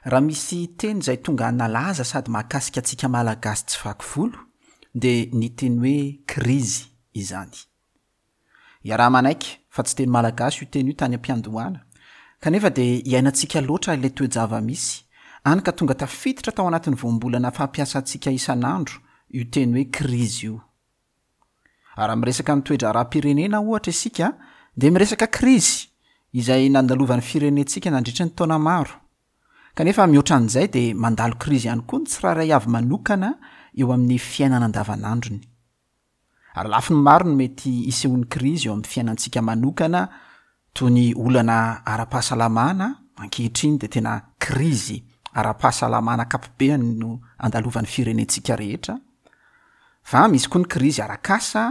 Raha misy teny izay tonga nalaza sady mahakasika antsika Malagasy tsy vaky volo dia ny teny hoe krizy izany. Iaraha-manaiky fa tsy teny malagasy io teny io tany am-piandohana, kanefa dia iainantsika loatra ilay toe-java-misy, hany ka tonga tafiditra tao anatin'ny voambolana fampiasantsika isan'andro io teny hoe krizy io. Raha miresaka ny toe-draharaham-pirenena ohatra isika dia miresaka krizy izay nandalovan'ny firenentsika nandritry ny taona maro. Kanefa mihoatra an'izay dia mandalo krizy ihany koa ny tsirairay avy manokana eo amin'ny fiainana andavanandrony. Ary lafiny maro no mety hisehoan'ny krizy eo amin'ny fiainantsika manokana toy ny olana ara-pahasalamana, ankehitriny dia tena krizy ara-pahasalamana ankapobeany no andalovan'ny firenentsika rehetra, fa misy koa ny krizy arak'asa,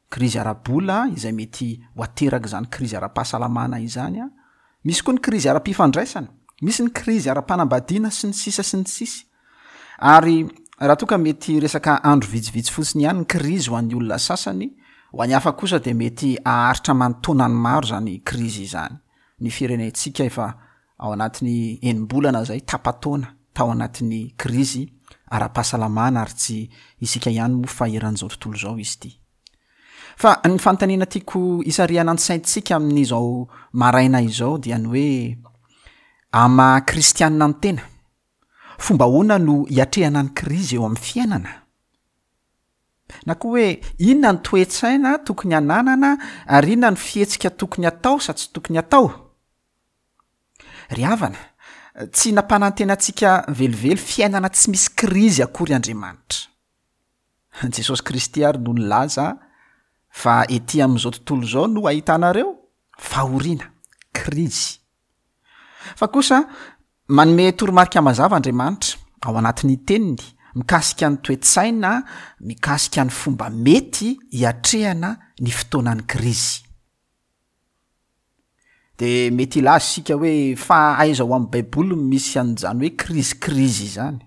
krizy ara-bola izay mety ho aterak'izany krizy ara-pahasalamana izany, misy koa ny krizy ara-pifandraisana, misy ny krizy ara-panambadiana sy ny sisa sy ny sisa. Ary raha toa ka mety resaka andro vitsivitsy fotsiny ihany ny krizy ho an'ny olona sasany, ho an'ny hafa kosa dia mety haharitra aman-taonany maro izany krizy izany. Ny firenentsika efa ao anatin'ny enim-bolana izay, tapa-taona tao anatin'ny krizy ara-pahasalamana ary tsy isika ihany moa fa eran'izao tontolo izao izy ity. Fa ny fanontaniana tiako hisarihana ny saintsika amin'izao maraina izao dia ny hoe, amin'ny maha kristianina ny tena, Fomba ahoana no hiatrehana ny krizy eo amin'ny fiainana? Na koa hoe inona ny toe-tsaina tokony hananana ary inona ny fihetsika tokony hatao sa tsy tokony hatao? Ry havana, tsy nampanantena antsika velively fiainana tsy misy krizy akory Andriamanitra. Jesosy Kristy ary no nilaza fa ety amin'izao tontolo izao no ahitanareo fahoriana, krizy. Fa kosa, manome toromarika mazava Andriamanitra, ao anatin'ny Teniny, mikasika ny toe-tsaina, mikasika ny fomba mety hiatrehana ny fotoanan'ny krizy. De mety hilaza isika hoe fa aiza ao amin'ny Baiboly no misy an'izany hoe krizy krizy izany?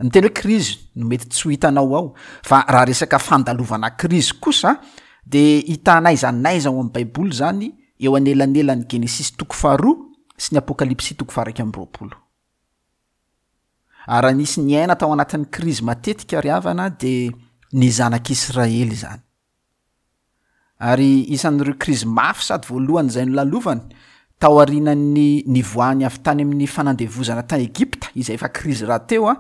Ny teny hoe krizy no mety tsy ho hitanao ao, fa raha resaka fandalovana krizy kosa de hita n'aiza n'aiza ao amin'ny Baiboly izany eo anelanelan'ny Genesisy toko faharoa sy ny Apokalypsy toko faha-21. Ary raha nisy niaina tao anatin'ny krizy matetika ry havana de ny zanak'Israely izany. Ary isan'ireo krizy mafy sady voalohany izay nolalovany, taorianan'ny nivoahany avy tany amin'ny fanandevozana tany Egypta, izay efa krizy rahateo,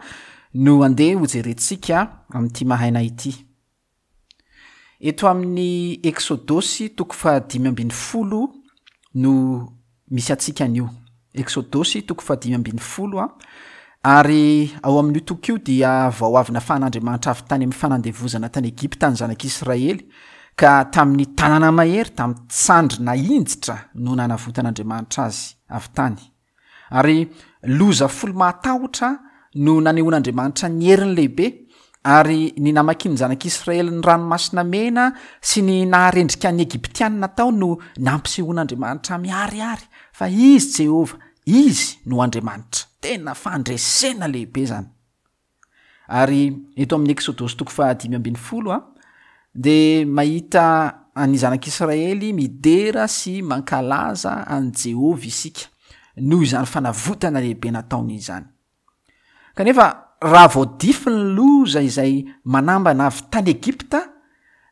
no andeha hojerentsika amin'ity maraina ity. Eto amin'ny Eksodosy toko fahadimy ambin'ny folo no misy antsika anio. Eksodosy toko fahadimy ambin'ny folo a, ary ao amin'io toko io dia vao avy nafahan'Andriamanitra avy tany amin'ny fanandevozana tany Egypta ny zanak'Israely, ka tamin'ny tanana mahery, tamin'ny tsandry nahinjitra no nanavotan'Andriamanitra azy avy tany. Ary loza folo mahatahotra no nanehoan'Andriamanitra ny heriny lehibe, ary ny namakian'ny zanak'Israely ny Ranomasina Mena sy ny naharendrika ny Egyptianina tao no nampisehoan'Andriamanitra miharihary fa Izy Jehovah, Izy no Andriamanitra. Tena fandresena lehibe izany! Ary eto amin'ny Eksodosy toko fahadimy ambin'ny folo a, dia mahita an'ny zanak'Israely midera sy mankalaza an'i Jehovah isika noho izany fanavotana lehibe nataony izany. Kanefa raha vao dify ny loza izay manambana avy tany Egypta,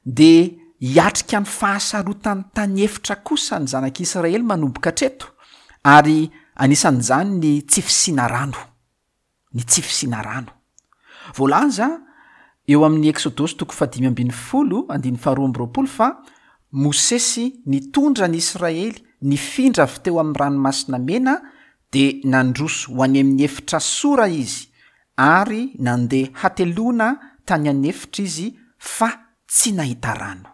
dia hiatrika ny fahasarotan'ny tany efitra kosa ny zanak'Israely manomboka hatreto, ary anisan'izany ny tsy fisiana rano. ny tsy fisiana rano. Voalaza eo amin'ny Eksodosy toko fahadimy ambin'ny folo andininy faharoa amby roapolo fa Mosesy nitondra ny Israely nifindra avy teo amin'ny Ranomasina Mena dia nandroso ho any amin'ny efitra Sora izy ary nandeha hateloana tany an'efitra izy fa tsy nahita rano.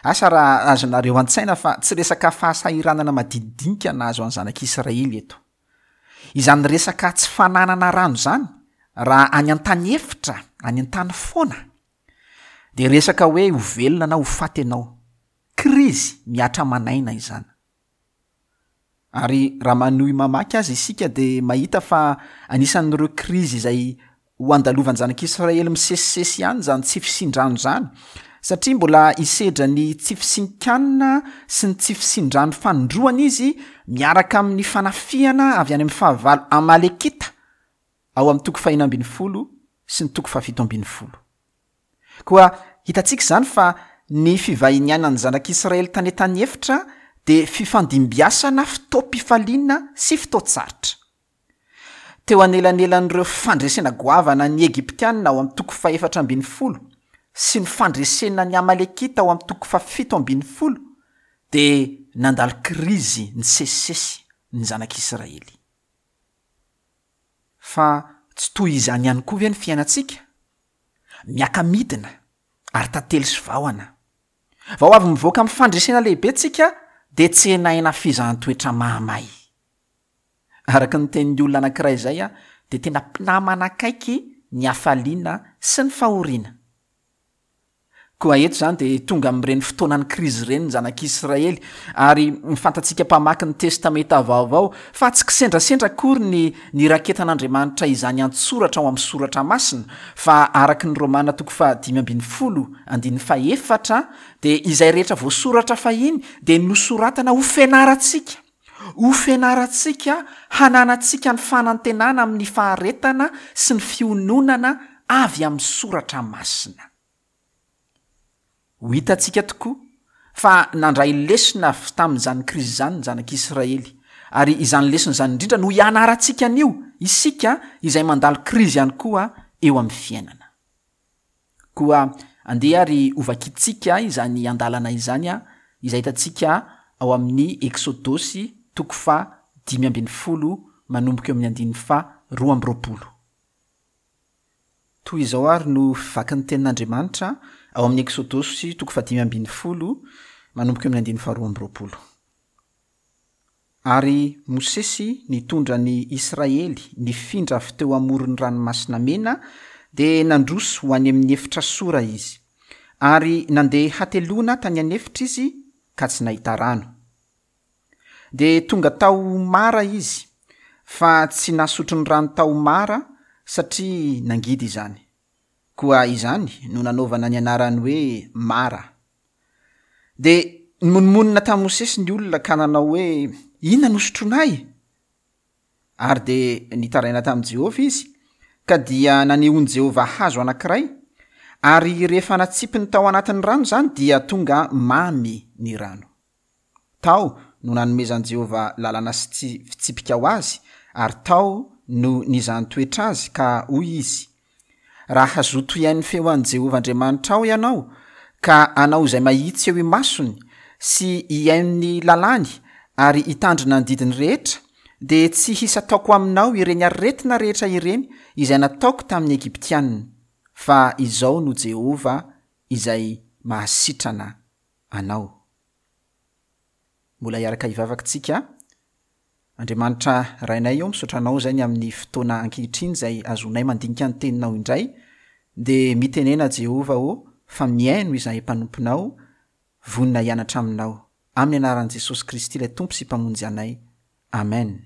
Asa raha azonareo an-tsaina fa tsy resaka fahasahiranana madinidinika nahazo an'ny zanak'Israely eto. Izany resaka tsy fananana rano izany, raha any an-tany efitra, any an-tany foana, dia resaka hoe ho velona na ho faty ianao. Krizy mihatra aman'aina izany. Ary raha manohy mamaky aza isika dia mahita fa anisan'ireo krizy izay ho andalovan'ny zanak'Israely misesisesy ihany izany tsy fisian-drano izany. Satria mbola hisedra ny tsy fisian-kanina sy ny tsy fisian-drano fanindroany izy miaraka amin'ny fanafihana avy any amin'ny fahavalo Amalekita ao amin'ny toko fahena 16 sy ny toko fahafito 17. Koa hitantsika izany fa ny fivahinianan'ny zanak'Israely tany an-tany efitra dia fifandimbiasana fotoam-pifaliana sy fotoan-tsarotra. Teo anelanelan'ireo fandresena goavana ny Egyptiana ao amin'ny toko fahefatra 14 sy ny fandresena ny Amalekita ao amin'ny toko fahafito 17 dia nandalo krizy nisesisesy ny zanak'Israely. Fa tsy toy izany ihany koa ve ny fiainantsika? Miaka-midina ary tantely sy vahona. Vao avy mivoaka amin'ny fandresena lehibe tsika dia tsenaina fizahan-toetra mahamay. Araka ny tenin'ny olona anankiray izay dia tena mpinamana akaiky ny hafaliana sy ny fahoriana. Koa eto izany dia tonga amin'ireny fotoanan'ny krizy ireny ny zanak'Israely, ary fantatsika mpamaky ny Testamenta Vaovao fa tsy kisendrasendra akory ny niraketan'Andriamanitra izany an-tsoratra ao amin'ny Soratra Masina, fa araka ny Romana toko faha 15 andininy faha efatra dia izay rehetra voasoratra fahiny dia nosoratana ho fianarantsika. Ho fianarantsika hananantsika ny fanantenana amin'ny faharetana sy ny fiononana avy amin'ny soratra masina. Ho hitantsika tokoa fa nandray lesona avy tamin'izany krizy izany ny zanak'Israely, ary izany lesona izany indrindra no hianarantsika anio, isika izay mandalo krizy ihany koa eo amin'ny fiainana. Koa andeha ary hovakintsika izany andalana izany izay hitantsika ao amin'ny Eksodosy toko faha 15 manomboka eo amin'ny andininy faha 22. Toy izao ary no fivakin'ny tenin'Andriamanitra ao amin'ny Eksodosy toko faha 15 manomboka eo amin'ny andininy faha 22. Ary Mosesy nitondra ny Israely nifindra avy teo amoron'ny Ranomasina Mena, dia nandroso ho any amin'ny efitra Sora izy. Ary nandeha hateloana tany an'efitra izy ka tsy nahita rano. Dia tonga tao Mara izy, fa tsy nahasotro ny rano tao Mara, satria nangidy izany. Koa izany no nanaovana ny anarany hoe Mara. Dia nimonomonona tamin'i Mosesy ny olona ka nanao hoe, Inona no sotroinay? Ary dia nitaraina tamin'i Jehovah izy, ka dia nanehoan'i Jehovah hazo anankiray, ary rehefa natsipiny tao anatin'ny rano izany dia tonga mamy ny rano. Tao no nanomezan'i Jehovah lalana sy fitsipika ho azy, ary tao no nizahany toetra azy, ka hoy izy, Raha hazoto hihaino feo an'i Jehovah Andriamanitrao ianao, ka hanao izay mahitsy eo imasony, sy hihaino ny lalàny, ary hitandrina ny didiny rehetra, dia tsy hisy hataoko aminao ireny aretina rehetra ireny izay nataoko tamin'ny Egyptiana, fa izao no Jehovah izay mahasitrana anao. Mbola hiaraka hivavaka tsika. Andriamanitra Rainay ô, misaotra Anao izay ny amin'ny fotoana ankehitriny izay azonay mandinika ny Teninao indray, dia mitenena Jehovah ô fa mihaino izahay mpanomponao, vonona hianatra Aminao. Amin'ny anaran'i Jesosy Kristy ilay Tompo sy Mpamonjy anay. Amen.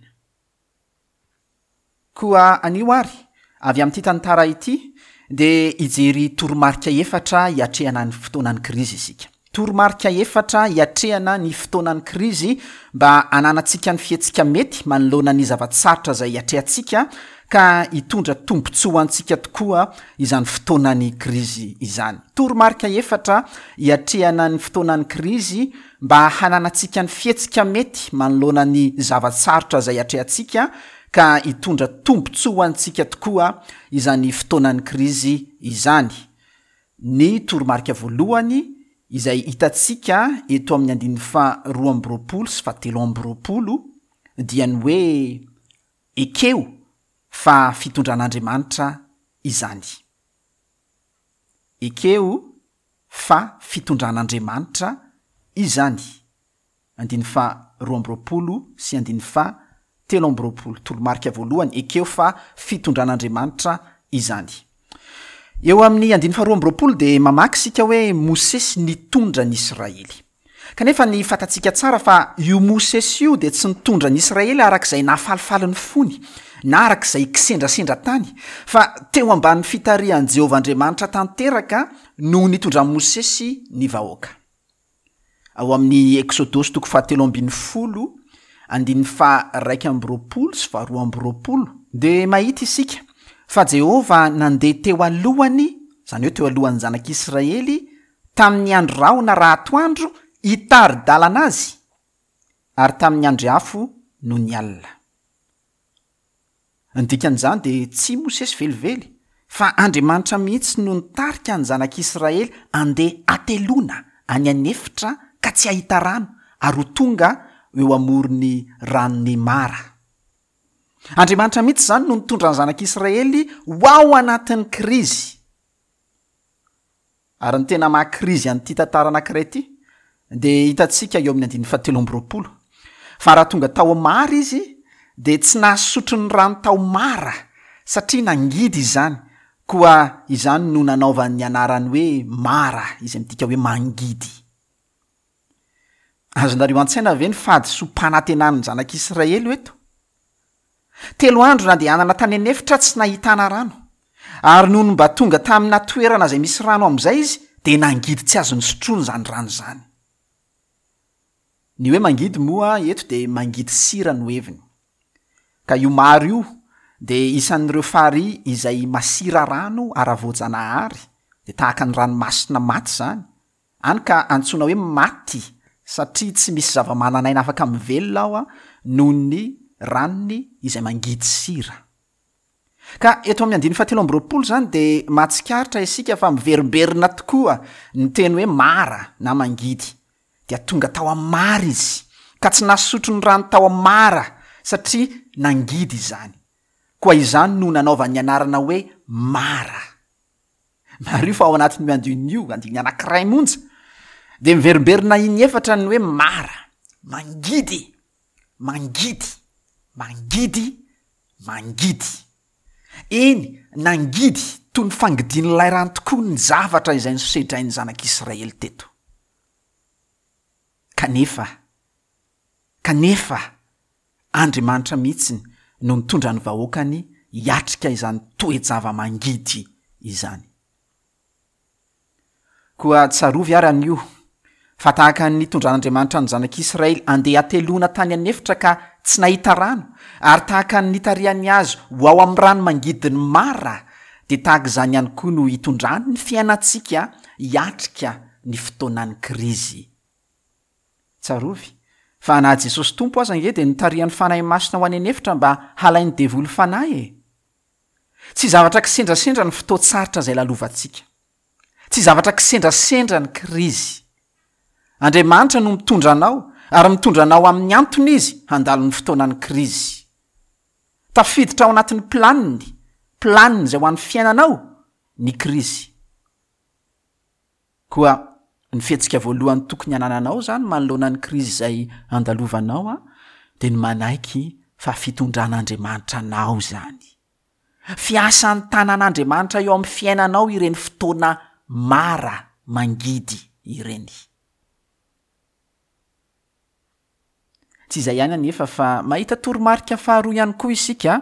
Koa anio àry, avy amin'ity tantara ity, dia hijery toromarika efatra hiatrehana ny fotoanan'ny krizy isika. Toromarika efatra hiatrehana ny fotoanan'ny krizy mba hananantsika ny fihetsika mety manoloana ny zava-tsarotra izay iatrehantsika ka hitondra tombontsoa ho antsika tokoa izany fotoanan'ny krizy izany. Toromarika efatra hiatrehana ny fotoanan'ny krizy mba hananantsika ny fihetsika mety manoloana ny zava-tsarotra izay atrehantsika ka hitondra tombontsoa ho antsika tokoa izany fotoanan'ny krizy izany. Ny toromarika voalohany izay hitantsika eto amin'ny andininy faha 22 sy faha 23 dia ny hoe ekeo fa fitondran'Andriamanitra izany. Ekeo fa fitondran'Andriamanitra izany, andininy faha 22 sy andininy faha 23, toromarika voalohany, ekeo fa fitondran'Andriamanitra izany. Eo amin'ny andininy faha 22 dia mamaky isika hoe Mosesy nitondra ny Israely. Kanefa ny fantatsika tsara fa io Mosesy io dia tsy nitondra ny Israely araka izay nahafalifaly ny fony, na araka izay kisendrasendra tany, fa teo ambany fitarihan'i Jehovah Andriamanitra tanteraka no nitondran'i Mosesy ny vahoaka. Ao amin'ny Eksodosy toko fahatelo ambin'ny folo, andininy faha-21 sy faha-22, dia mahita isika fa Jehovah nandeha teo alohany, izany hoe teo alohan'ny zanak'Israely, Tamin'ny andro rahona raha atoandro hitari-dalana azy, ary tamin'ny andry afo nony alina. Ny dikan'izany dia tsy i Mosesy velively, fa Andriamanitra mihitsy no nitarika ny zanak'Israely handeha hateloana any an'efitra ka tsy hahita rano ary ho tonga eo amoron'ny ranon'i Mara. Andriamanitra mihitsy izany no nitondra ny zanak'Israely ho ao anatin'ny krizy. Ary ny tena maha krizy an'ity tantara anankiray ity dia hitantsika eo amin'ny andininy fahatelo amby 20, fa raha tonga tao Mara izy dia tsy nahasotro ny rano tao Mara satria nangidy izany, koa izany no nanaovany ny anarany hoe Mara izay midika hoe mangidy. Azonareo an-tsaina ve ny fahadisoam-panantenan'ny zanak'Israely eto? Telo andro nandehanana tany an'efitra tsy nahitana rano. Ary nony mba tonga tamina toerana izay misy rano amin'izay izy, dia nangidy tsy azo nosotroina izany rano izany. Ny hoe mangidy moa eto dia mangidy sira no heviny. Ka io maro io dia isan'ireo farihy izay masira rano ara-voajanahary, dia tahaka ny ranomasina maty izany, Any ka antsoina hoe maty satria tsy misy zava-manan'aina afaka mivelona ao noho ny ranony izay mangidy sira. Ka eto amin'ny andininy fahatelo amby 20 izany dia mahatsikaritra isika fa miverimberina tokoa ny teny hoe mara na mangidy. Dia tonga tao amin'ny mara izy, ka tsy nasotro ny rano tao amin'ny mara satria nangidy izany. Koa izany no nanaovany ny anarana hoe mara. Mariho fa ao anatin'io andininy io, andininy anankiray monja, dia miverimberina inefatra ny hoe mara, mangidy, mangidy, mangidy, mangidy. Eny, nangidy toy ny fangidian'ilay rano tokoa ny zavatra izay nosedrain'ny zanak'Israely teto. Kanefa, kanefa, Andriamanitra mihitsy no nitondra ny vahoakany hiatrika izany toe-java-mangidy izany. Koa tsarovy ary anio, fa tahaka ny nitondran'Andriamanitra ny zanak'Israely handeha hateloana tany an'efitra ka tsy nahita rano, ary tahaka ny nitarihany azy ho ao amin'ny rano mangidin'i Mara, dia tahaka izany ihany koa no hitondrany ny fiainantsika hiatrika ny fotoanan'ny krizy. Tsarovy, fa na Jesosy Tompo aza ange dia notarihan'ny Fanahy Masina ho any an'efitra mba halain'ny devoly fanahy e! Tsy zavatra kisendrasendra ny fotoan-tsarotra izay lalovantsika. Tsy zavatra kisendrasendra ny krizy. Andriamanitra no mitondra anao, ary mitondra anao amin'ny antony Izy handalo ny fotoanan'ny krizy. Tafiditra ao anatin'ny planiny, planiny izay ho an'ny fiainanao, ny krizy. Koa ny fihetsika voalohany tokony hanananao izany manoloana ny krizy izay andalovanao dia ny manaiky fa fitondran'Andriamanitra anao izany. Fiasan'ny tanan'Andriamanitra eo amin'ny fiainanao ireny fotoana mara mangidy ireny. Tsy izay ihany anefa fa mahita toromarika faharoa ihany koa isika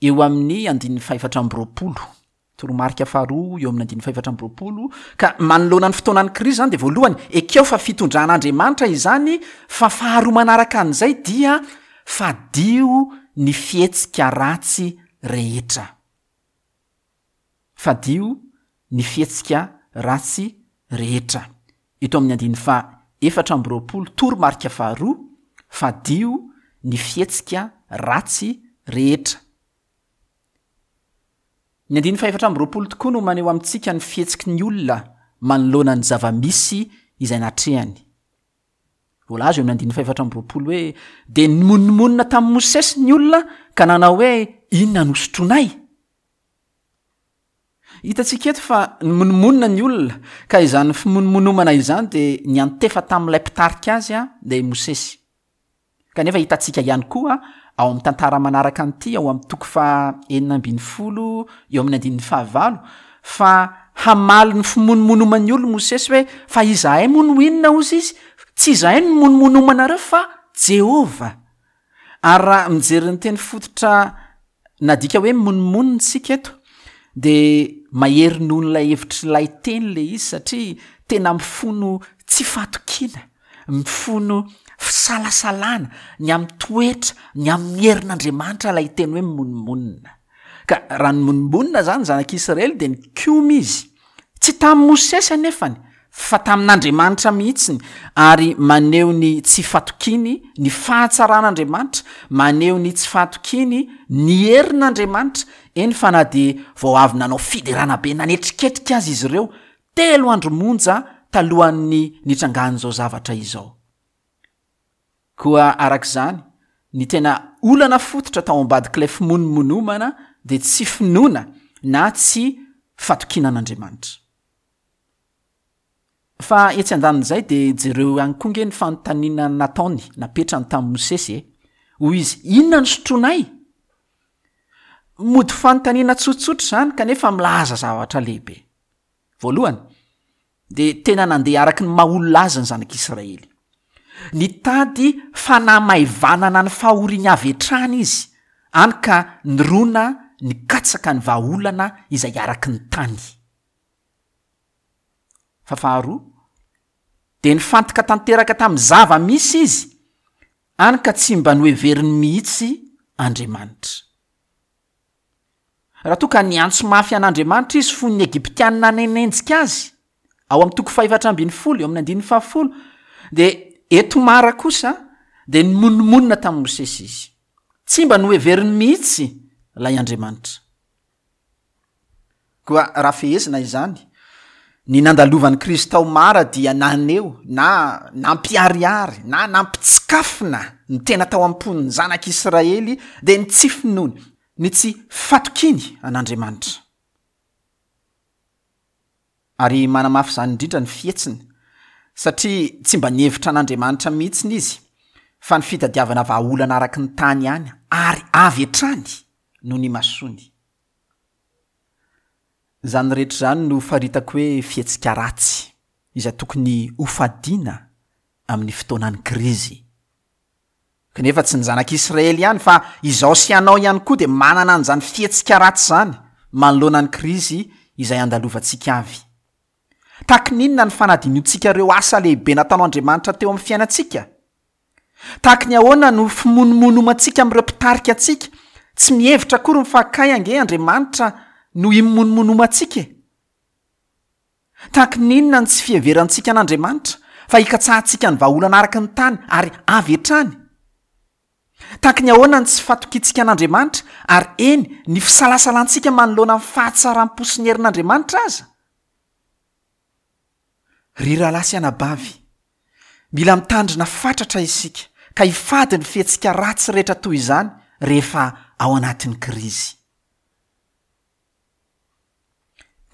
eo amin'ny andininy fahefatra amby 20. Toromarika faharoa eo amin'ny andininy fahefatra amby 20, ka manoloana ny fotoanan'ny krizy izany dia voalohany, ekeo fa fitondran'Andriamanitra izany, fa faharoa manaraka an'izay dia fadio ny fihetsika ratsy rehetra. Fadio ny fihetsika ratsy rehetra. Eto amin'ny andininy faha 24, toromarika faharoa, fadio ny fihetsika ratsy rehetra. Ny andininy faha-24 tokoa no maneho amintsika ny fihetsiky ny olona manoloana ny zava-misy izay natrehany. Voalaza eo amin'ny andininy faha-24 hoe, Dia nimonomonona tamin'i Mosesy ny olona ka nanao hoe, Inona no hosotroinay? Hitantsika eto fa nimonomonona ny olona, ka izany fimonomonomana izany dia niantefa tamin'ilay mpitarika azy, dia i Mosesy. Kanefa hitantsika ihany koa ao amin'ny tantara manaraka an'ity ao amin'ny toko faha 16 eo amin'ny andininy fahavalo fa hamaly ny fimonomonoman'ny olona Mosesy hoe fa izahay moa no inona hozy izy? Tsy izahay no mimonomonomanareo fa Jehovah. Ary raha mijery ny teny fototra nadika hoe mimonomonona isika eto, dia mahery noho ilay hevitr'ilay teny ilay izy satria tena mifono tsy fahatokiana, mifono fisalasalana ny amin'ny toetra, ny amin'ny herin'Andriamanitra ilay teny hoe mimonomonona. Ka raha nimonomonona izany ny zanak'Israely dia nikomy izy. Tsy tamin'i Mosesy anefany, fa tamin'Andriamanitra mihitsiny, ary maneho ny tsy fatokiany ny fahatsaran'Andriamanitra, maneho ny tsy fahatokiany ny herin'Andriamanitra, eny fa na dia vao avy nanao fiderana be nanetriketrika aza izy ireo, telo andro monja talohan'ny nitrangan'izao zavatra izao. Koa araka izany, ny tena olana fototra tao ambadik'ilay fimonomonomana dia tsy finoana na tsy fatokiana an'Andriamanitra. Fa etsy andanin'izay dia jereo ihany koa nge ny fanontaniana nataony, napetrany tamin'i Mosesy e! Hoy izy, Inona no sotroinay? Mody fanontaniana tsotsotra izany kanefa milaza zavatra lehibe. Voalohany, dia tena nandeha araka ny maha olona azy ny zanak'Israely. Nitady fanamaivanana ny fahoriany avy hatrany izy, any ka nirona nikatsaka ny vahaolana izay araka ny tany. Fa faharoa, dia nifantoka tanteraka tamin'ny zava-misy izy, any ka tsy mba noheveriny mihitsy Andriamanitra. Raha toa ka niantso mafy an'Andriamanitra izy fony ny Egyptiana nanenjika azy, ao amin'ny toko fahefatra ambin'ny folo, eo amin'ny andininy fahafolo, dia eto Mara kosa dia nimonomonona tamin'i Mosesy izy. Tsy mba noheveriny mihitsy ilay Andriamanitra. Koa raha fehezina izany, ny nandalovan'i Kristy tao Mara dia naneho na nampiharihary na nampitsikafona ny tena tao am-pon'ny zanak'Israely dia ny tsy finoany, ny tsy fatokiany an'Andriamanitra. Ary manamafy izany indrindra ny fihetsiny, satria tsy mba nihevitra an'Andriamanitra mihitsiny izy, fa ny fitadiavana vahaolana araka ny tany ihany ary avy hatrany no nimasoany. Izany rehetra izany no faritako hoe fihetsika ratsy izay tokony hofadiana amin'ny fotoanan'ny krizy. Kanefa tsy ny zanak'Israely ihany fa izaho sy ianao ihany koa dia manana an'izany fihetsika ratsy izany manoloana ny krizy izay andalovantsika avy. Tahaky ny inona ny fanadinoantsika ireo asa lehibe nataon'Andriamanitra teo amin'ny fiainantsika? Tahaky ny ahoana no fimonomonomantsika amin'ireo mpitarika antsika? Tsy mihevitra akory ny fa kay ange Andriamanitra no imonomonomantsika e! Tahaky ny inona ny tsy fiheverantsika an'Andriamanitra fa hikatsahantsika ny vahaolana araka ny tany ary avy hatrany? Tahaky ny ahoana ny tsy fatokiantsika an'Andriamanitra ary eny ny fisalasalantsika manoloana ny fahatsaram-po sy ny herin'Andriamanitra aza? Ry rahalahy sy anabavy, mila mitandrina fatratra isika ka hifady ny fihetsika ratsy rehetra toy izany rehefa ao anatin'ny krizy.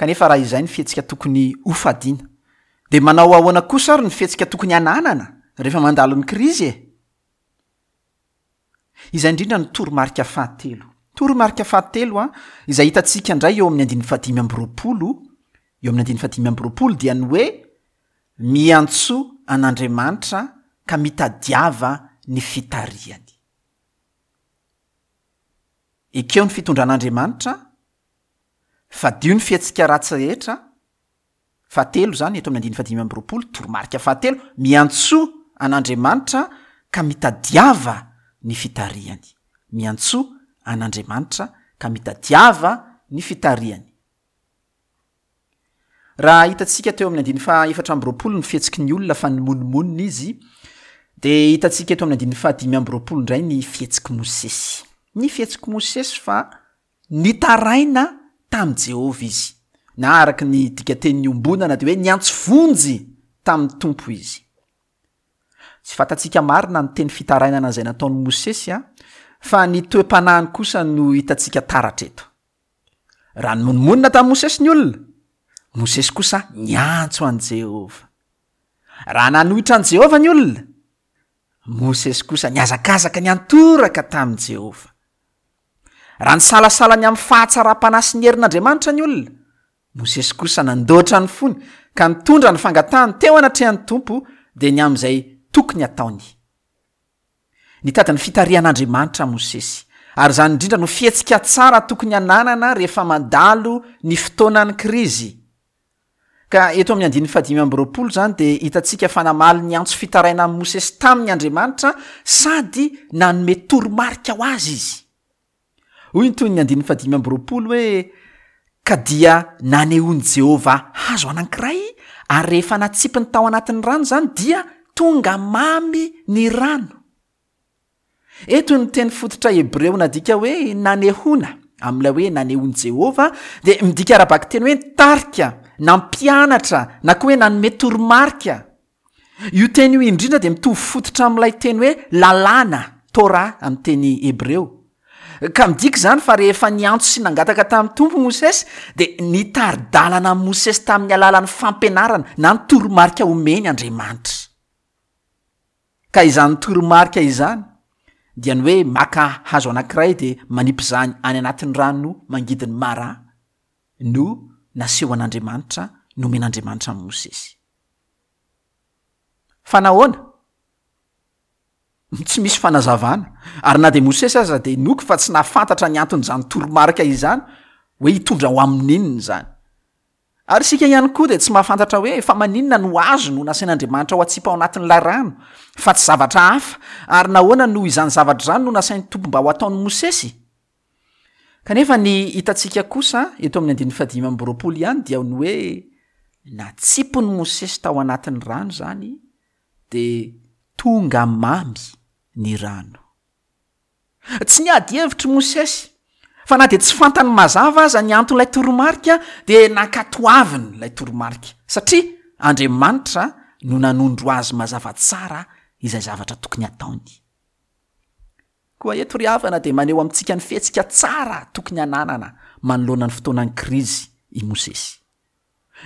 Kanefa raha izay ny fihetsika tokony hofadiana, dia manao ahoana kosa ary ny fihetsika tokony hananana rehefa mandalo ny krizy e? Izay indrindra no toromarika fahatelo. Toromarika fahatelo a, izay hitantsika indray eo amin'ny andininy fahadimy amby roapolo, eo amin'ny andininy fahadimy amby roapolo dia ny hoe miantsoa an'Andriamanitra ka mitadiava ny fitarihany. Ekeo ny fitondran'Andriamanitra, fadio ny fihetsika ratsy rehetra, Fahatelo izany, eto amin'ny andininy fahadimy amby roapolo, toromarika fahatelo, miantsoa an'Andriamanitra ka mitadiava ny fitarihany. Miantsoa an'Andriamanitra ka mitadiava ny fitarihany. Raha hitantsika teo amin'ny andininy faha 24 ny fihetsiky ny olona fa nimonomonona izy, dia hitantsika eto amin'ny andininy faha 25 indray ny fihetsik'i Mosesy. Ny fihetsik'i Mosesy fa Nitaraina tamin'i Jehovah izy, na araka ny dikanteny niombonana dia hoe niantso vonjy tamin'ny Tompo izy. Tsy fantatsika marina ny teny fitarainana izay nataon'i Mosesy, fa ny toe-panahiny kosa no hitantsika taratra eto. Raha nimonomonona tamin'i Mosesy ny olona, Mosesy kosa niantso an'i Jehovah. Raha nanohitra an'i Jehovah ny olona, Mosesy kosa nihazakazaka niantoraka tamin'i Jehovah. Raha nisalasala ny amin'ny fahatsaram-panahy sy ny herin'Andriamanitra ny olona, Mosesy kosa nandoatra ny fony ka nitondra ny fangatahany teo anatrehan'ny Tompo, dia ny amin'izay tokony hataony. Nitady ny fitarihan'Andriamanitra Mosesy, ary izany indrindra no fihetsika tsara tokony hananana rehefa mandalo ny fotoanan'ny krizy. Ka eto amin'ny andininy fahadimy amby 20 izany dia hitantsika fa namaly ny antso fitarainan'i Mosesy taminy Andriamanitra sady nanome toromarika ho azy izy. Hoy ny tohin'ny andininy fahadimy amby 20 hoe, Ka dia nanehoan'i Jehovah hazo anankiray, ary rehefa natsipiny tao anatin'ny rano izany, dia tonga mamy ny rano. Eto ny teny fototra hebreo nadika hoe nanehoana, amin'ilay hoe nanehoan'i Jehovah, dia midika ara-bakiteny hoe nitarika, nampianatra, na koa hoe nanome toromarika. Io teny io indrindra dia mitovy fototra amin'ilay teny hoe lalàna, Torah, amin'ny teny hebreo. Ka midika izany fa rehefa niantso sy nangataka tamin'ny Tompo Mosesy, dia nitari-dalana an'i Mosesy tamin'ny alalan'ny fampianarana na ny toromarika omeny Andriamanitra. Ka izany toromarika izany dia ny hoe maka hazo anankiray dia manipy izany any anatin'ny rano mangidin'i Mara no nasehon'Andriamanitra, nomen'Andriamanitra an'i Mosesy. Fa nahoana? Tsy misy fanazavana. Ary na dia Mosesy aza dia inoako fa tsy nahafantatra ny anton'izany toromarika izany, hoe hitondra ho amin'inona izany. Ary isika ihany koa dia tsy mahafantatra hoe fa maninona no hazo no nasain'Andriamanitra ho atsipy ao anatin'ilay rano, fa tsy zavatra hafa, ary nahoana no izany zavatra izany no nasain'ny Tompo mba ho ataon'i Mosesy? Kanefa ny hitantsika kosa eto amin'ny andininy fahadimy amby 20 ihany dia ny hoe natsipin'i Mosesy tao anatin'ny rano izany dia tonga mamy ny rano. Tsy niady hevitra i Mosesy, fa na dia tsy fantany mazava aza ny anton'ilay toromarika dia nankatoaviny ilay toromarika, satria Andriamanitra no nanondro azy mazava tsara izay zavatra tokony hataony. Koa eto ry havana dia maneho amintsika ny fihetsika tsara tokony hananana manoloana ny fotoanan'ny krizy i Mosesy.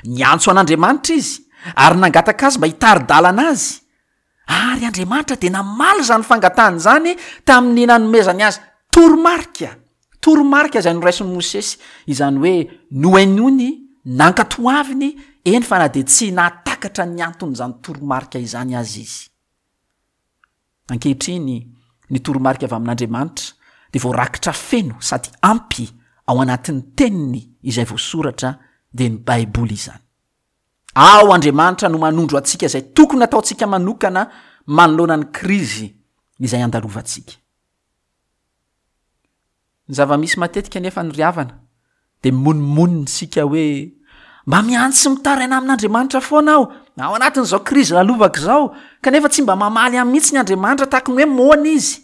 Niantso an'Andriamanitra izy ary nangataka azy mba hitari-dalana azy. Ary Andriamanitra dia namaly izany fangatahany izany tamin'ny nanomezany azy toromarika, toromarika izay noraisin'i Mosesy, izany hoe nohenoiny, nankatoaviny, eny fa na dia tsy nahatakatra ny anton'izany toromarika izany aza izy. Ankehitriny, ny toromarika avy amin'Andriamanitra dia voarakitra feno sady ampy ao anatin'ny Teniny izay voasoratra, dia ny Baiboly izany. Ao Andriamanitra no manondro antsika izay tokony hataontsika manokana manoloana ny krizy izay andalovantsika. Ny zava-misy matetika anefa ny ry havana dia mimonomonona isika hoe mba miantso sy mitaraina amin'Andriamanitra foana aho ao anatin'izao krizy lalovako izao kanefa tsy mba mamaly ahy mihitsy ny Andriamanitra tahaka ny hoe moana izy.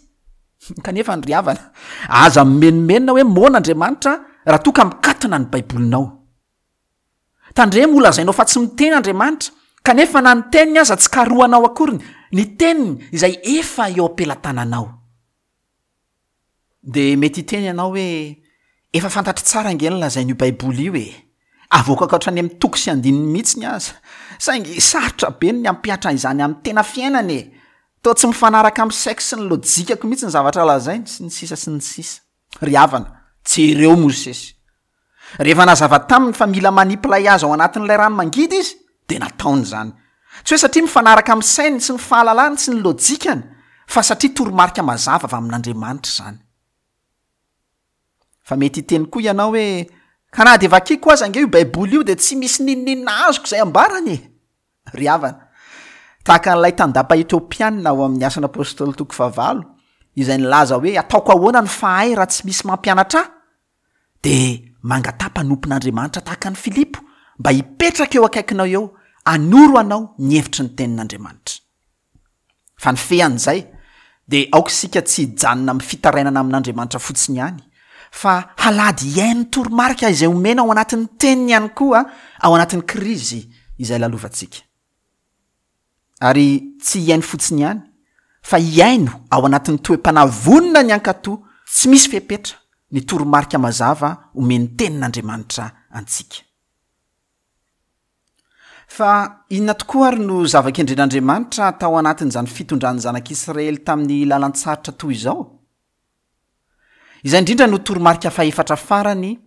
Kanefa ny ry havana, aza mimenomenona hoe moana Andriamanitra raha toa ka mikatona ny Baibolinao. Tandremo ho lazainao fa tsy miteny Andriamanitra kanefa na ny teniny aza tsy karohanao akoriny, ny teniny izay efa eo am-pelatananao. Dia mety hiteny ianao hoe, Efa fantatro tsara ange ny lazain'io Baiboly io e! Avoakako hatrany amin'ny toko sy andininy mihitsiny aza. Saingy sarotra be ny hampihatra izany amin'ny tena fiainana e! Toa tsy mifanaraka amin'ny saiko sy ny lojikako mihitsy ny zavatra lazainy, sy ny sisa sy ny sisa. Ry havana, jereo Mosesy. Rehefa nazava taminy fa mila manipy ilay hazo ao anatin'ilay rano mangidy izy, dia nataony izany. Tsy hoe satria mifanaraka amin'ny sainy sy ny fahalalany sy ny lojikany, fa satria toromarika mazava avy amin'Andriamanitra izany. Fa mety hiteny koa ianao hoe, Ka na dia vakiko aza ange io Baiboly io dia tsy misy n'inon'inona azoko izay ambarany e! Ry havana, tahaka an'ilay tandapa Etiopiana ao amin'ny Asan'ny Apostoly toko fahavalo, izay nilaza hoe, Ataoko ahoana no fahay raha tsy misy mampianatra ahy? Dia mangataha mpanompon'Andriamanitra tahaka an'i Filipo mba hipetraka eo akaikinao eo hanoro anao ny hevitry ny Tenin'Andriamanitra. Fa ny fean'izay dia aoka isika tsy hijanona amin'ny fitarainana amin'Andriamanitra fotsiny ihany, fa halady hihaino toromarika izay omena ao anatin'ny Teniny ihany koa ao anatin'ny krizy izay lalovantsika. Ary tsy hihaino fotsiny ihany, fa hihaino ao anatin'ny toe-panahy vonona ny hankatò tsy misy fepetra ny toromarika mazava omen'ny Tenin'Andriamanitra antsika. Fa inona tokoa ary no zava-kendren'Andriamanitra tao anatin'izany fitondran'ny zanak'Israely tamin'ny lalan-tsarotra toy izao? Izay indrindra no toromarika fahefatra farany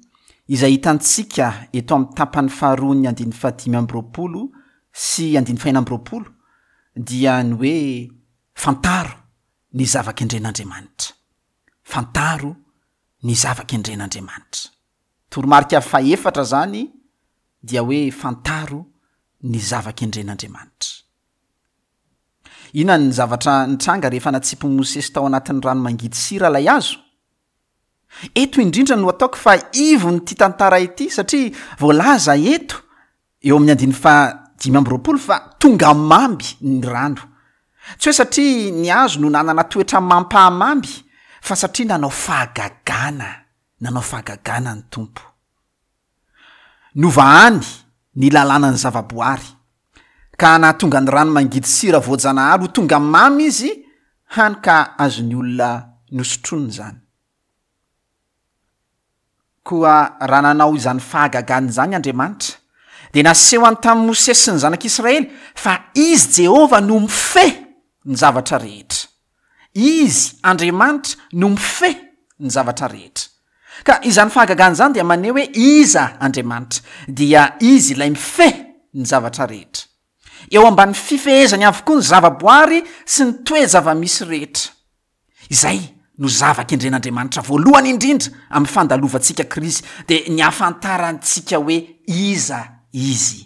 izay hitantsika eto amin'ny tapany faharoan'ny andininy fahadimy amby 20 sy andininy fahenina amby 20, dia ny hoe fantaro ny zava-kendren'Andriamanitra. Fantaro ny zava-kendren'Andriamanitra. Toromarika fahefatra izany dia hoe fantaro ny zava-kendren'Andriamanitra. Inona ny zavatra nitranga rehefa natsipin'i Mosesy tao anatin'ny rano mangidy sira ilay hazo? Eto indrindra no ataoko fa ivon'ity tantara ity satria voalaza eto eo amin'ny andininy faha 25 fa tonga mamy ny rano. Tsy hoe satria ny hazo no nanana toetra mampahamamy fa satria nanao fahagagana, nanao fahagagana ny Tompo. Novahany ny lalànan'ny zavaboary, ka nahatonga ny rano mangidy sira voajanahary ho tonga mamy izy, hany ka azon'ny olona nosotroina izany. Koa raha nanao izany fahagagana izany Andriamanitra, dia nasehony tamin'i Mosesy sy ny zanak'Israely fa Izy Jehovah no mifehy ny zavatra rehetra. Izy, Andriamanitra, no mifehy ny zavatra rehetra. Ka izany fahagagana izany dia maneho hoe iza Andriamanitra, dia Izy ilay mifehy ny zavatra rehetra. Eo ambany fifehezany avokoa ny zavaboary sy ny toe-java-misy rehetra. Izay no zava-kendren'Andriamanitra voalohany indrindra amin'ny fandalovantsika krizy, dia ny hahafantarantsika hoe iza Izy.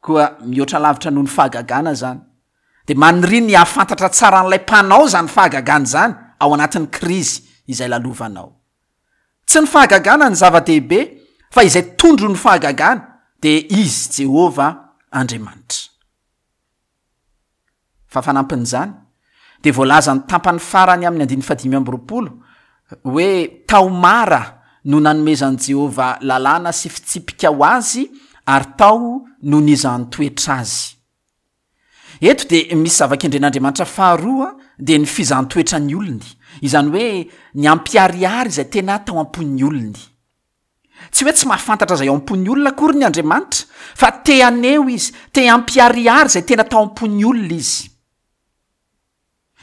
Koa mihoatra lavitra noho ny fahagagana izany, dia maniria ny hahafantatra tsara an'ilay Mpanao izany fahagagana izany ao anatin'ny krizy izay lalovanao. Tsy ny fahagagana no zava-dehibe, fa izay tondron'ny fahagagana, dia Izy Jehovah Andriamanitra. Fa fanampin'izany, dia voalazan'ny tampany farany amin'ny andininy fahadimy amby 20 hoe tao Mara no nanomezan'i Jehovah lalàna sy fitsipika ho azy ary tao no nizahan-toetra azy. Eto dia misy zava-kendren'Andriamanitra faharoa dia ny fizahan-toetra ny olony, izany hoe ny hampiharihary izay tena tao am-pon'ny olony. Tsy hoe tsy mahafantatra izay ao am-pon'ny olona akory ny Andriamanitra, fa te haneho Izy, te hampiharihary izay tena tao am-pon'ny olona Izy.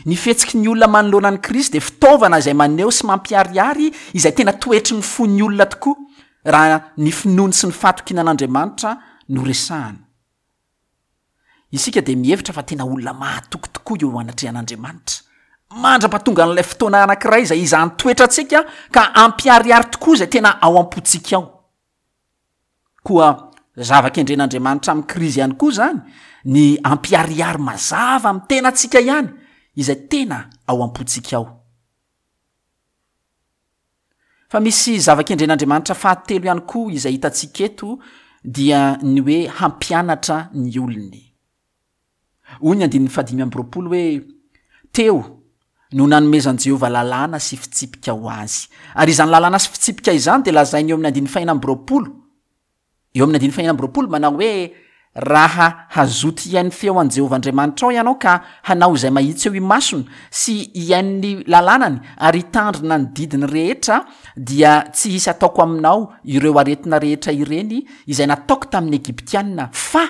Ny fihetsiky ny olona manoloana an'i Kristy dia fitaovana izay maneho sy mampiharihary izay tena toetry ny fon'ny olona tokoa, raha ny finoany sy ny fahatokiana an'Andriamanitra no resahana. Isika dia mihevitra fa tena olona mahatoky tokoa eo anatrehan'Andriamanitra, mandra-pahatongan'ilay fotoana anankiray izay hizahan'ny toetrantsika ka hampiharihary tokoa izay tena ao am-pontsika ao. Koa zava-kendren'Andriamanitra amin'ny krizy ihany koa izany ny hampiharihary mazava amin'ny tenantsika ihany izay tena ao am-pontsika ao. Fa misy zava-kendren'Andriamanitra fahatelo ihany koa izay hitantsika eto dia ny hoe hampianatra ny olony. Hoy ny andininy fahadimy amby 20 hoe, Teo no nanomezan'i Jehovah lalàna sy fitsipika ho azy. Ary izany lalàna sy fitsipika izany dia lazainy eo amin'ny andininy fahena amby 20. Eo amin'ny andininy fahenina amby 20 manao hoe, Raha hazoto hihaino feo an'i Jehovah Andriamanitrao ianao ka hanao izay mahitsy eo imasony sy hihaino ny lalànany ary hitandrina ny didiny rehetra, dia tsy hisy hataoko aminao ireo aretina rehetra ireny izay nataoko tamin'ny Egyptiana, fa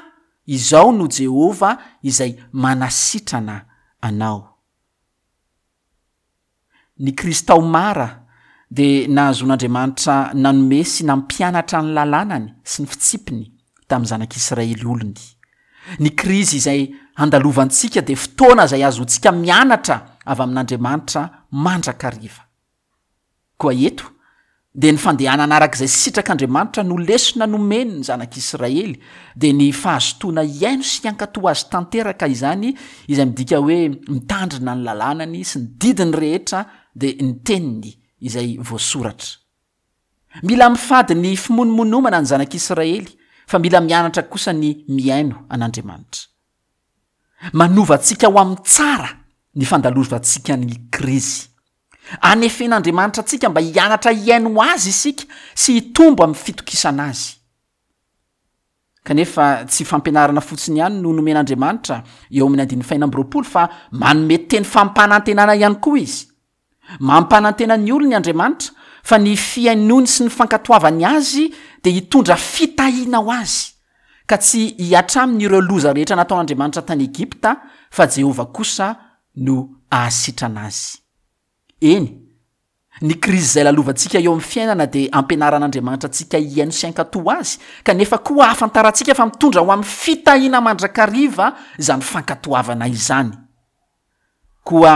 Izaho no Jehovah izay manasitrana anao. Ny krizy tao Mara dia nahazoan'Andriamanitra nanome sy nampianatra ny lalànany sy ny fitsipiny tamin'ny zanak'Israely olony. Ny krizy izay handalovantsika dia fotoana izay ahazoantsika mianatra avy amin'Andriamanitra mandrakariva. Koa eto dia ny fandehanana araka izay sitrak'Andriamanitra no lesona nomeny ny zanak'Israely, dia ny fahazotoana hihaino sy hankatò azy tanteraka izany, izay midika hoe mitandrina ny lalànany sy ny didiny rehetra, dia ny teniny izay voasoratra. Mila mifady ny fimonomonomana ny zanak'Israely, fa mila mianatra kosa ny mihaino an'Andriamanitra. Manova antsika ho amin'ny tsara ny fandalovantsika ny krizy. Anefen'Andriamanitra antsika mba hianatra hihaino Azy isika sy hitombo amin'ny fitokisana Azy. Kanefa tsy fampianarana fotsiny ihany no nomen'Andriamanitra eo amin'ny andininy fahena amby 20 fa manome teny fampanantenana ihany koa Izy. Mampanantena ny olony Andriamanitra fa ny fihainoany sy ny fankatoavany Azy dia hitondra fitahiana ho azy, ka tsy hihatra aminy ireo loza rehetra nataon'Andriamanitra tany Egypta fa Jehovah kosa no hahasitrana azy. Eny, Ny krizy izay lalovantsika eo amin'ny fiainana dia ampianaran'Andriamanitra antsika hihaino sy hankatò Azy, kanefa koa ahafantarantsika fa mitondra ho amin'ny fitahiana mandrakariva izany fankatoavana izany. Koa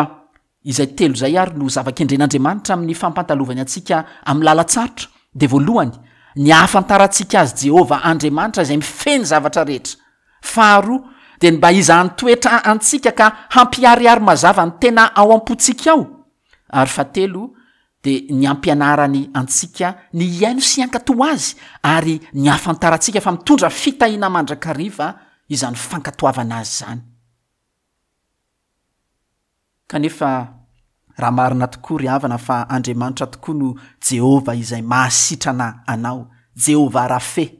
izay telo izay ary no zava-kendren'Andriamanitra amin'ny fampandalovany antsika amin'ny lalan-tsarotra, dia voalohany, ny hahafantarantsika Azy Jehovah Andriamanitra izay mifehy ny zavatra rehetra. Faharoa, dia ny mba hizahany toetra antsika ka hampiharihary mazava ny tena ao am-pontsika ao. Ary fahatelo, dia ny hampianarany antsika ny hihaino sy hankatò Azy ary ny hahafantarantsika fa mitondra fitahiana mandrakariva izany fankatoavana Azy izany. Kanefa, raha marina tokoa ry havana fa Andriamanitra tokoa no Jehovah izay mahasitrana anao, Jehovah Rafe,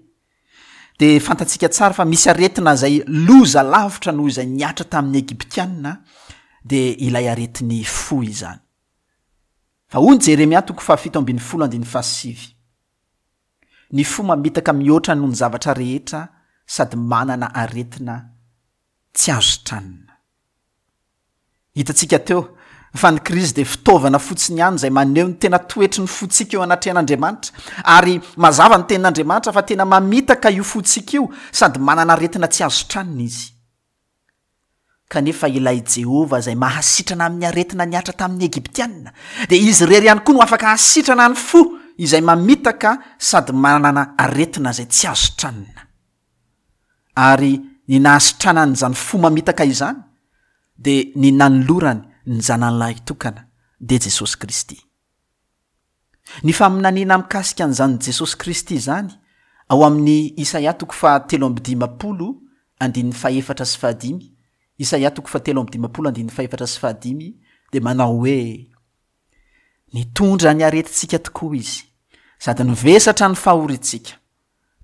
dia fantatsika tsara fa misy aretina izay loza lavitra noho izay nihatra tamin'ny Egyptiana, dia ilay aretin'ny fo izany. Fa hoy ny Jeremia toko fahafito ambin'ny folo andininy fahasivy, Ny fo mamitaka mihoatra noho ny zavatra rehetra sady manana aretina tsy azo sitranina. Hitantsika teo fa ny krizy dia fitaovana fotsiny ihany izay maneho ny tena toetry ny fontsika eo anatrehan'Andriamanitra, ary mazava ny tenin'Andriamanitra fa tena mamitaka io fontsika io sady manana aretina tsy azo sitranina izy. Kanefa ilay Jehovah izay mahasitrana amin'ny aretina nihatra tamin'ny Egyptiana, dia izy irery ihany koa no afaka hahasitrana ny fo izay mamitaka sady manana aretina izay tsy azo sitranina. Ary ny nahasitranany izany fo mamitaka izany dia ny nanolorany ny Zanany Lahitokana, dia Jesosy Kristy. Ny faminaniana mikasika an'izany Jesosy Kristy izany ao amin'ny Isaia toko fahatelo amby dimampolo andininy fahefatra sy fahadimy, Isaia toko fahatelo amby dimampolo andininy fahefatra sy fahadimy dia manao hoe, Nitondra ny aretintsika tokoa Izy, sady nivesatra ny fahoriantsika.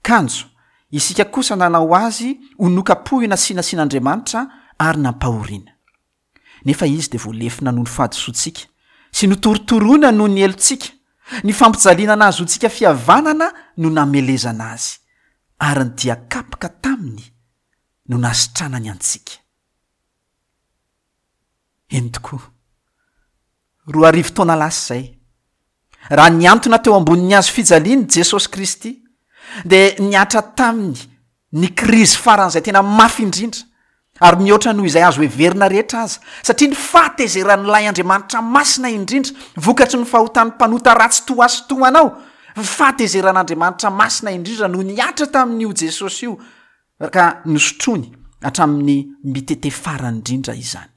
Kanjo, isika kosa nanao azy ho nokapohina sy nasian'Andriamanitra ary nampahoriana. Nefa izy dia voalefona noho ny fahadisoantsika, sy notorotoroina noho ny helotsika, ny fampijaliana nahazoantsika fihavanana no namelezana azy, ary ny dia kapoka taminy no nasitranany antsika. Eny tokoa. 2000 taona lasa izay, raha nihantona teo ambonin'ny hazo fijaliana i Jesosy Kristy, dia nihatra taminy ny krizy faran'izay tena mafy indrindra, ary mihoatra noho izay azo heverina rehetra aza, satria ny fahatezeran'ilay Andriamanitra masina indrindra, vokatry ny fahotan'ny mpanota ratsy toa ahy sy toa anao, ny fahatezeran'Andriamanitra masina indrindra no nihatra tamin'io Jesosy io, ka nosotroiny hatramin'ny mitete farany indrindra izany.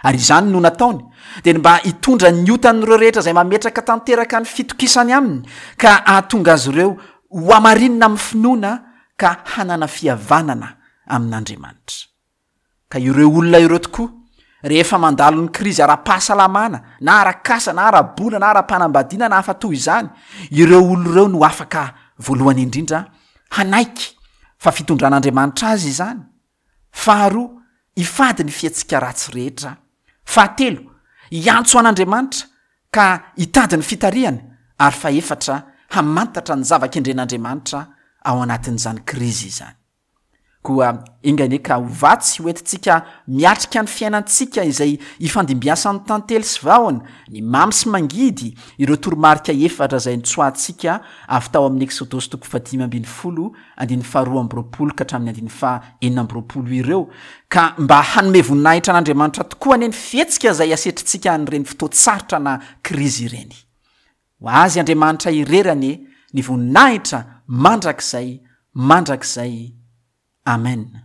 Ary izany no nataony, dia ny mba hitondra ny otan'ireo rehetra izay mametraka tanteraka ny fitokisany aminy, ka hahatonga azy ireo hohamarinina amin'ny finoana ka hanana fihavanana amin'Andriamanitra. Ka ireo olona ireo tokoa, rehefa mandalo ny krizy ara-pahasalamana, na ara-kasa, na ara-bola, na ara-panambadiana, na hafa toy izany, ireo olona ireo no afaka voalohany indrindra hanaiky fa fitondran'Andriamanitra azy izany, Faharoa, hifady ny fihetsika ratsy rehetra. Fahatelo, hiantso an'Andriamanitra ka hitady ny fitarihany. Ary fahefatra, hamantatra ny zava-kendren'Andriamanitra ao anatin'izany krizy izany. Koa enga anie ka ho vatsy ho entintsika miatrika ny fiainantsika izay ifandimbiasan'ny tantely sy vahona, ny mamy sy mangidy, ireo toromarika efatra izay notsoahantsika avy tao amin'ny Eksodosy toko fahadimy ambin'ny folo andininy faharoa amby roapolo ka hatramin'ny andininy faha-26 ireo, ka mba hanome voninahitra an'Andriamanitra tokoa anie ny fihetsika izay asetrintsika an'ireny fotoan-tsarotra na krizy ireny. Ho Azy Andriamanitra irery anie ny voninahitra mandrakizay mandrakizay. Amen.